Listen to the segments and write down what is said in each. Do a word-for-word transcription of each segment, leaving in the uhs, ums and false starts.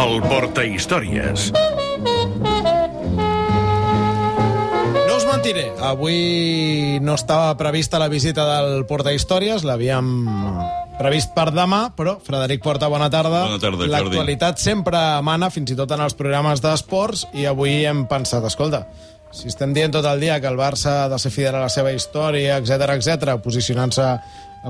El Portahistòries. No us mentiré, avui no estava prevista la visita del Portahistòries, l'havíem previst per demà, però Frederic Porta, bona tarda. Bona tarda, Jordi. L'actualitat sempre mana, fins i tot en els programes d'esports, i avui hem pensat, escolta, si estem dient tot el dia que el Barça ha de ser fidel a la seva història, etcètera, etcètera, posicionant-se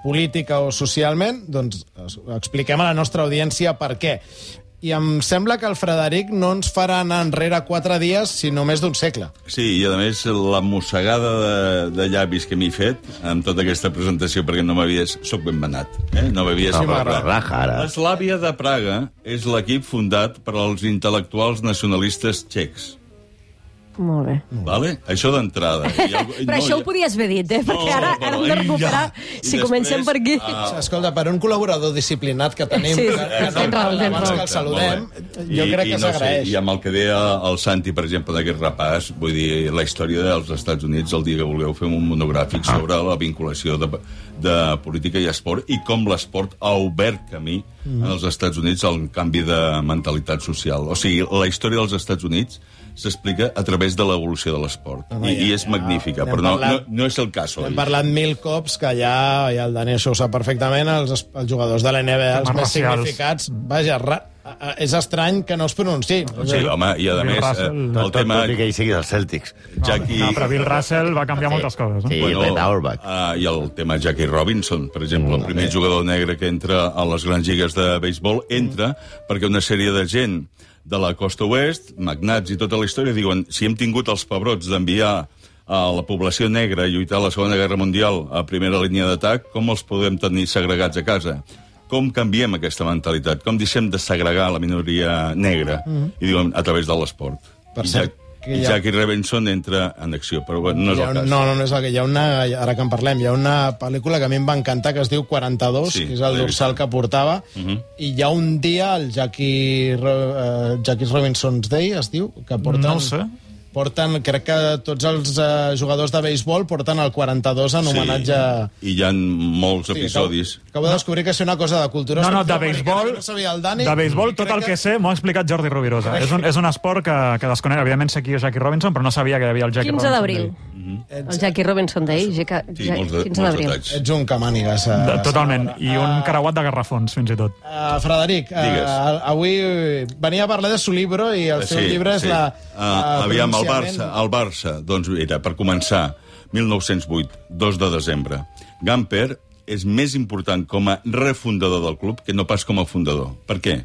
política o socialment, doncs expliquem a la nostra audiència per què. I em sembla que el Frederic no ens farà anar enrere quatre dies, sinó més d'un segle. Sí, i a més la mossegada de, de llavis que m'he fet amb tota aquesta presentació, perquè no m'havies... Soc ben manat, eh? No m'havies... Sí, m'agrada. L'Slavia de Praga és l'equip fundat per als intel·lectuals nacionalistes txecs. Molt bé. Vale? Això d'entrada. Però no, això ho podies haver dit, eh? Perquè ara, ara hem de recuperar, ja. Si comencem per aquí. Ah. Escolta, per un col·laborador disciplinat que tenim, sí, que, sí, que no parla abans que el saludem, jo I, crec que no s'agraeix. Sé, I amb el que deia el Santi, per exemple, d'aquest repàs, vull dir, la història dels Estats Units, el dia que vulgueu fer un monogràfic ah. sobre la vinculació de, de política i esport i com l'esport ha obert camí mm. en els Estats Units al canvi de mentalitat social. O sigui, la història dels Estats Units s'explica a través de l'evolució de l'esport. No, I, ja, I és ja, magnífica, però no, parlat, no, no és el cas. Hem parlat mil cops que ja, ja el Dani això ho sap perfectament, els, els jugadors de la N B A, els més racials. Significats, vaja, ra, és estrany que no es pronunciï. Sí, home, i a Bill més, Russell, eh, el tema... Tot i que ell sigui dels Celtics. Jackie... No, però Bill Russell va canviar sí. moltes coses. No? Sí, bueno, Red Auerbach. Uh, I el tema Jackie Robinson, per exemple, mm, el primer bé. jugador negre que entra a les grans lligues de béisbol, entra mm. perquè una sèrie de gent de la costa oest, magnats i tota la història, diuen, si hem tingut els pebrots d'enviar a la població negra a lluitar a la Segona Guerra Mundial a primera línia d'atac, com els podem tenir segregats a casa? Com canviem aquesta mentalitat? Com deixem de segregar la minoria negra? Mm-hmm. I diuen, a través de l'esport. Per cert, I ha... Jackie Robinson entra en acció, però bueno, no és el cas. No, no, no és el que hi ha una... Ara que en parlem, hi ha una pel·lícula que a mi em va encantar, que es diu quaranta-dos, sí, que és el dorsal que portava, uh -huh. i hi ha un dia, el Jackie, uh, Jackie Robinson's Day, es diu, que porten... No ho sé. Porten, crec que tots els uh, jugadors de béisbol porten el quaranta-dos en homenatge... Sí, i hi ha molts sí, episodis. Acabo, acabo de descobrir que és una cosa de cultura... No, no, de béisbol, no sabia el Dani, de béisbol tot el que, que sé m'ho ha explicat Jordi Rovirosa. És un, és un esport que, que desconec. Evidentment sé qui és Jackie Robinson, però no sabia que hi havia el Jackie quinze Robinson. d'abril. El Jackie Robinson Day, ja, sí, ja, molts de, quinze d'abril. Ets un camànigues. Uh, Totalment, i un carauat de garrafons, fins i tot. Uh, Frederic, uh, avui venia a parlar de su libro i el sí, seu llibre és sí. la... Uh, uh, aviam, el Barça, el Barça, doncs era, per començar, mil nou-cents vuit, dos de desembre. Gamper és més important com a refundador del club que no pas com a fundador. Per què?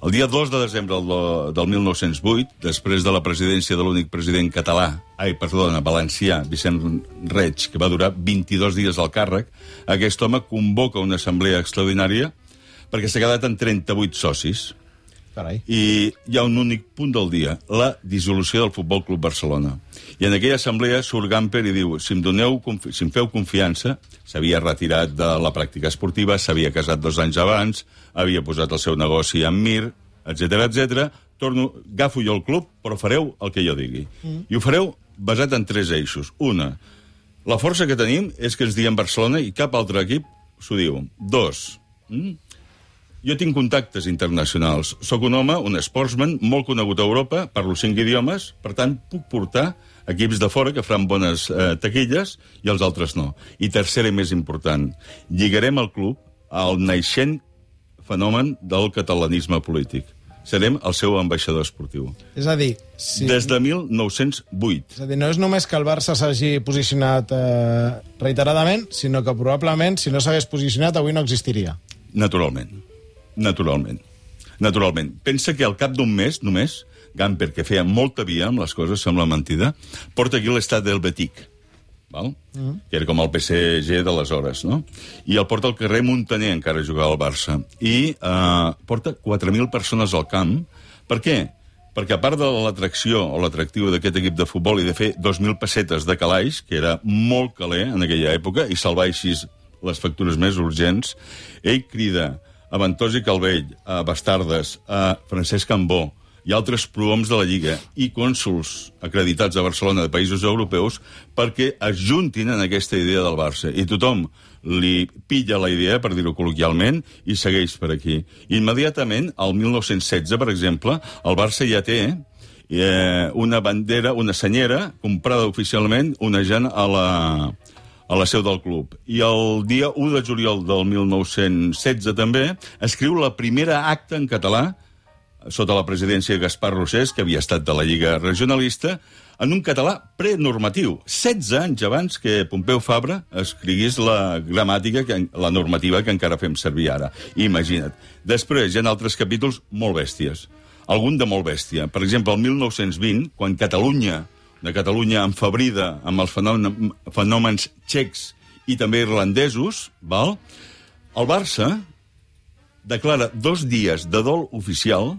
El dia dos de desembre del, del mil nou-cents vuit, després de la presidència de l'únic president català, ai, perdona, valencià, Vicent Reig, que va durar vint-i-dos dies al càrrec, aquest home convoca una assemblea extraordinària perquè s'ha quedat en trenta-vuit socis. Carai. I hi ha un únic punt del dia, la dissolució del Futbol Club Barcelona. I en aquella assemblea surt Gamper i diu, si em, doneu, si em feu confiança, s'havia retirat de la pràctica esportiva, s'havia casat dos anys abans, havia posat el seu negoci en Mir, etcètera, etcètera, torno, agafo jo el club, però fareu el que jo digui. Mm. I ho fareu basat en tres eixos. Una, la força que tenim és que ens diem Barcelona i cap altre equip s'ho diu. Dos, mm? jo tinc contactes internacionals. Soc un home, un sportsman, molt conegut a Europa, parlo cinc idiomes, per tant, puc portar equips de fora que faran bones eh, taquilles i els altres no. I tercera i més important, lligarem el club al naixent fenomen del catalanisme polític. Serem el seu ambaixador esportiu. És a dir... Si... Des de mil nou-cents vuit. És a dir, no és només que el Barça s'hagi posicionat eh, reiteradament, sinó que probablement, si no s'hagués posicionat, avui no existiria. Naturalment. Naturalment. Naturalment. Pensa que al cap d'un mes, només, Gamper, que feia molta via amb les coses, sembla mentida, porta aquí l'estat del Betic, val? Mm. que era com el P S G d'aleshores, no? I el porta al carrer Muntaner, encara jugava al Barça. I eh, porta quatre mil persones al camp. Per què? Perquè a part de l'atracció o l'atractiu d'aquest equip de futbol i de fer dos mil pessetes de calaix, que era molt caler en aquella època, i salvar així les factures més urgents, ell crida a Ventós i Calvell, a Bastardes, a Francesc Cambó i altres prohoms de la Lliga i cònsols acreditats a Barcelona de països europeus perquè es juntin en aquesta idea del Barça. I tothom li pilla la idea, per dir-ho col·loquialment, i segueix per aquí. Immediatament, al mil nou-cents setze, per exemple, el Barça ja té eh, una bandera, una senyera, comprada oficialment, onejant a la, a la seu del club. I el dia u de juliol del mil nou-cents setze, també, escriu la primera acta en català, sota la presidència de Gaspar Rosés, que havia estat de la Lliga Regionalista, en un català prenormatiu, setze anys abans que Pompeu Fabra escrigués la gramàtica, que, la normativa que encara fem servir ara. Imagina't. Després hi ha altres capítols molt bèsties. Algun de molt bèstia. Per exemple, el mil nou-cents vint, quan Catalunya, de Catalunya enfabrida amb els fenòmens, fenòmens txecs i també irlandesos, val? El Barça declara dos dies de dol oficial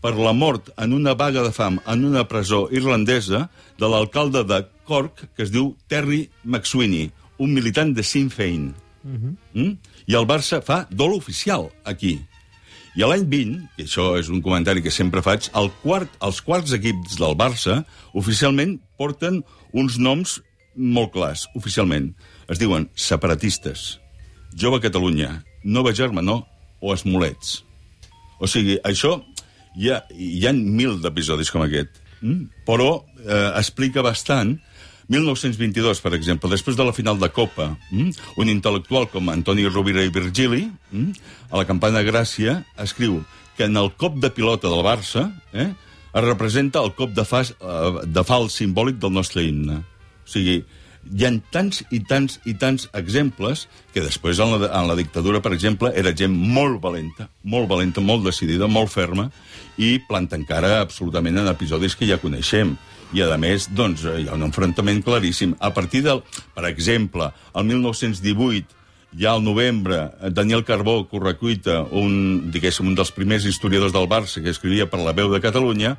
per la mort en una vaga de fam en una presó irlandesa de l'alcalde de Cork, que es diu Terry McSweeney, un militant de Sinn Féin. Uh-huh. mm? I el Barça fa dol oficial aquí. I a l'any vint, i això és un comentari que sempre faig, el quart, els quarts equips del Barça oficialment porten uns noms molt clars, oficialment. Es diuen separatistes, Jove Catalunya, Nova Germanor o Esmolets. O sigui, això... Hi ha, hi ha mil d'episodis com aquest, mm? però eh, explica bastant. mil nou-cents vint-i-dos, per exemple, després de la final de Copa, mm? un intel·lectual com Antoni Rovira i Virgili, mm? a la Campana Gràcia, escriu que en el cop de pilota del Barça eh, es representa el cop de, fas, eh, de fals simbòlic del nostre himne. O sigui, hi ha tants i tants i tants exemples que després, en la, en la dictadura, per exemple, era gent molt valenta, molt valenta, molt decidida, molt ferma, i planta encara absolutament en episodis que ja coneixem. I, a més, doncs, hi ha un enfrontament claríssim. A partir del... Per exemple, el mil nou-cents divuit, ja al novembre, Daniel Carbó Correcuita, un, diguéssim, un dels primers historiadors del Barça que escrivia per La Veu de Catalunya,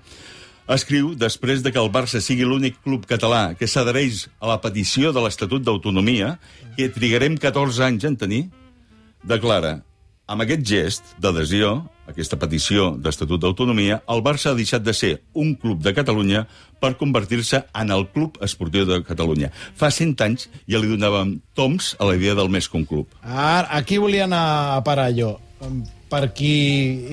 escriu, després de que el Barça sigui l'únic club català que s'adhereix a la petició de l'Estatut d'Autonomia, que trigarem catorze anys en tenir, declara, amb aquest gest d'adhesió, aquesta petició d'Estatut d'Autonomia, el Barça ha deixat de ser un club de Catalunya per convertir-se en el Club Esportiu de Catalunya. Fa cent anys ja li donàvem toms a la idea del més que un club. Ara, aquí volia anar a parar jo. Per qui,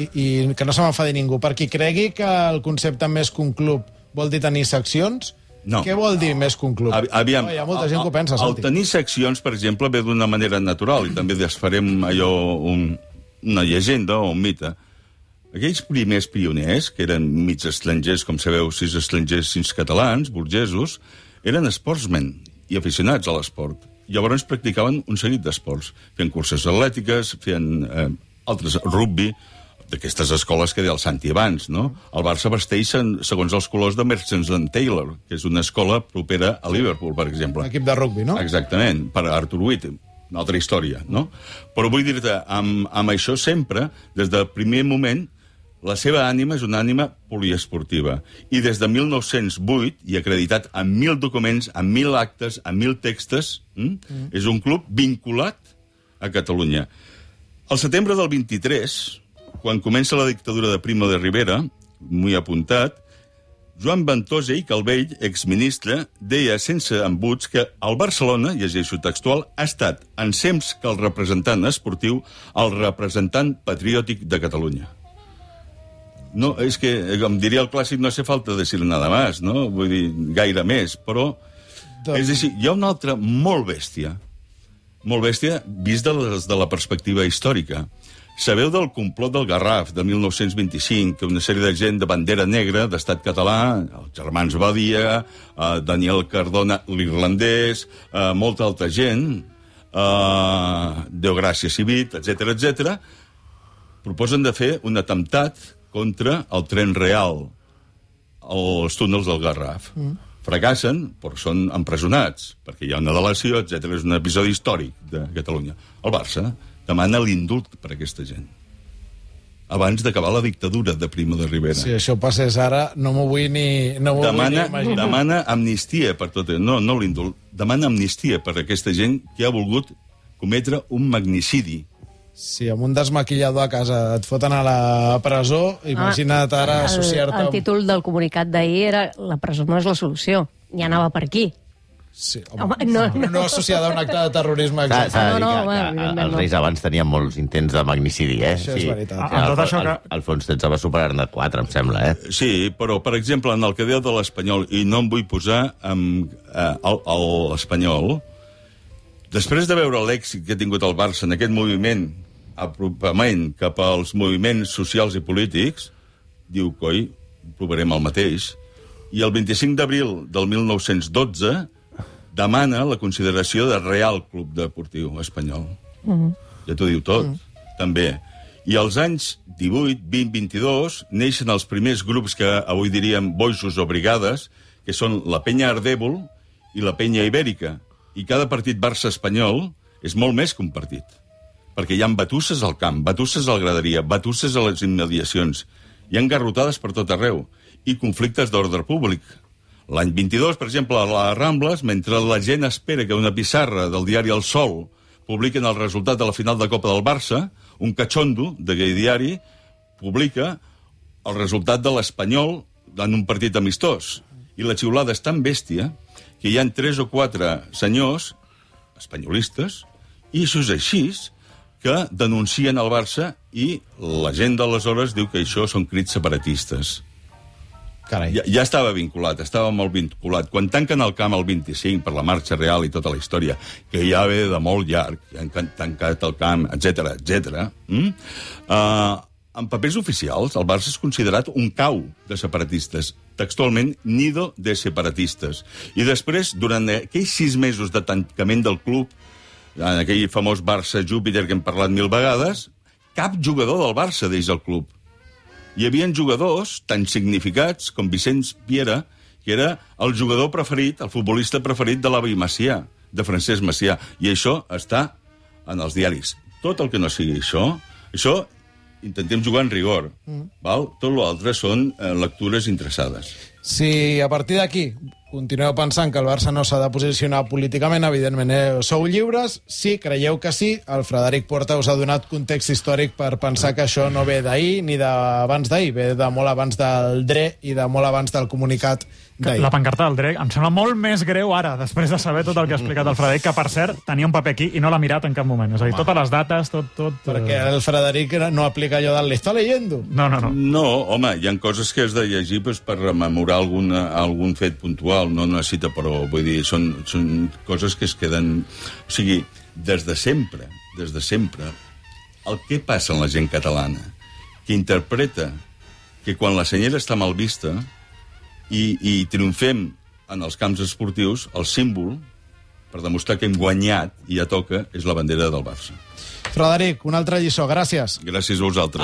i, i que no se m'enfadi ningú, per qui cregui que el concepte més que un club vol dir tenir seccions, no. Què vol dir més que un club? Aviam, oh, hi ha molta gent que ho pensa, Santi. El tenir seccions, per exemple, ve d'una manera natural, i també desfarem allò, un, una llegenda o un mite. Aquells primers pioners, que eren mig estrangers, com sabeu, sis estrangers, sis catalans, burgesos, eren sportsmen i aficionats a l'esport. Llavors practicaven un seguit d'esports, feien curses atlètiques, feien eh, altres rugby, d'aquestes escoles que deia el Santi abans, no? El Barça vesteix segons els colors de Merchants and Taylor, que és una escola propera a Liverpool, per exemple. Un equip de rugby, no? Exactament, per Arthur Witt, una altra història, no? Però vull dir-te, amb, amb això sempre, des del primer moment, la seva ànima és una ànima poliesportiva. I des de mil nou-cents vuit, i acreditat amb mil documents, amb mil actes, amb mil textos, hm? mm. és un club vinculat a Catalunya. Al setembre del vint-i-tres, quan comença la dictadura de Primo de Rivera, m'ho he apuntat, Joan Ventosa i Calvell, exministre, deia sense embuts que el Barcelona, llegeixo textual, ha estat, en temps que el representant esportiu, el representant patriòtic de Catalunya. No, és que, com diria el clàssic, no hace falta decir nada más, no? Vull dir, gaire més, però... De... És a dir, hi ha una altra molt bèstia, molt bèstia, vist de, les, de la perspectiva històrica. Sabeu del complot del Garraf, de mil nou-cents vint-i-cinc, que una sèrie de gent de bandera negra, d'estat català, els germans Badia, eh, Daniel Cardona, l'irlandès, eh, molta altra gent, eh, Deogràcia Civit, etcètera, etcètera, proposen de fer un atemptat contra el tren real, als túnels del Garraf. Mm. Fracassen, però són empresonats, perquè hi ha una delació, etcètera. És un episodi històric de Catalunya. El Barça demana l'indult per a aquesta gent, abans d'acabar la dictadura de Primo de Rivera. Si això passés ara, no m'ho vull ni, no m'ho demana, vull ni imaginar. Demana amnistia per tot. No, no l'indult. Demana amnistia per a aquesta gent que ha volgut cometre un magnicidi. Si amb un desmaquillador a casa et foten a la presó, imagina't ara associar-te... El, el títol del comunicat d'ahir era la presó no és la solució, ja anava per aquí. Sí, home, no, no. no associada a un acte de terrorisme. S'ha Exacte. de dir no, no, que, bueno, que evidentment els no. reis abans tenien molts intents de magnicidi, eh? Això és veritat. Sí, Amb tot Alfons- això que- Al- Alfons tretze va superar-ne quatre, em sembla, eh? Sí, però, per exemple, en el que deia de l'Espanyol, i no em vull posar amb eh, el- el- l'Espanyol, després de veure l'èxit que ha tingut el Barça en aquest moviment, apropament cap als moviments socials i polítics, diu, coi, provarem el mateix. I el vint-i-cinc d'abril del mil nou-cents dotze demana la consideració de Real Club Deportiu Espanyol. Mm-hmm. Ja t'ho diu tot, mm. també. I als anys divuit, vint, vint-i-dos, neixen els primers grups que avui diríem boixos o brigades, que són la Penya Ardèvol i la Penya Ibèrica. I cada partit Barça-Espanyol és molt més que un partit. Perquè hi ha batusses al camp, batusses a la graderia, batusses a les immediacions. Hi ha garrotades per tot arreu. I conflictes d'ordre públic. L'any vint-i-dos, per exemple, a les Rambles, mentre la gent espera que una pissarra del diari El Sol publiquen el resultat de la final de Copa del Barça, un catxondo d'aquell diari publica el resultat de l'Espanyol en un partit amistós. I la xiulada és tan bèstia que hi ha tres o quatre senyors espanyolistes, i això és així, que denuncien el Barça i la gent d'aleshores diu que això són crits separatistes. Carai. Ja, ja estava vinculat, estava molt vinculat. Quan tanquen el camp el vint-i-cinc per la marxa real i tota la història, que ja ve de molt llarg, ja han tancat el camp, etcètera, etcètera, mm? uh, en papers oficials el Barça és considerat un cau de separatistes, textualment nido de separatistes. I després, durant aquells sis mesos de tancament del club, en aquell famós Barça-Júpiter que hem parlat mil vegades, cap jugador del Barça deix el club. Hi havia jugadors tan significats com Vicenç Piera, que era el jugador preferit, el futbolista preferit de l'avi Macià, de Francesc Macià. I això està en els diaris. Tot el que no sigui això, això intentem jugar en rigor. Mm. Val? Tot l'altre són eh, lectures interessades. Si a partir d'aquí continueu pensant que el Barça no s'ha de posicionar políticament, evidentment eh, sou lliures. Si creieu que sí, el Frederic Porta us ha donat context històric per pensar que això no ve d'ahir ni d'abans d'ahir, ve de molt abans del D R E i de molt abans del comunicat d'ahir. La pancarta del D R E em sembla molt més greu ara, després de saber tot el que ha explicat el Frederic, que, per cert, tenia un paper aquí i no l'ha mirat en cap moment. És a dir, totes les dates, tot... tot Perquè el Frederic no aplica allò del «l'està leyendo». No, no, no. No, home, hi ha coses que has de llegir pues, per rememorar alguna, algun fet puntual, no necessita, però vull dir, són, són coses que es queden... O sigui, des de sempre, des de sempre, el que passa en la gent catalana, que interpreta que quan la senyera està mal vista i, i triomfem en els camps esportius, el símbol, per demostrar que hem guanyat i ja toca, és la bandera del Barça. Frederic, una altra lliçó. Gràcies. Gràcies a vosaltres.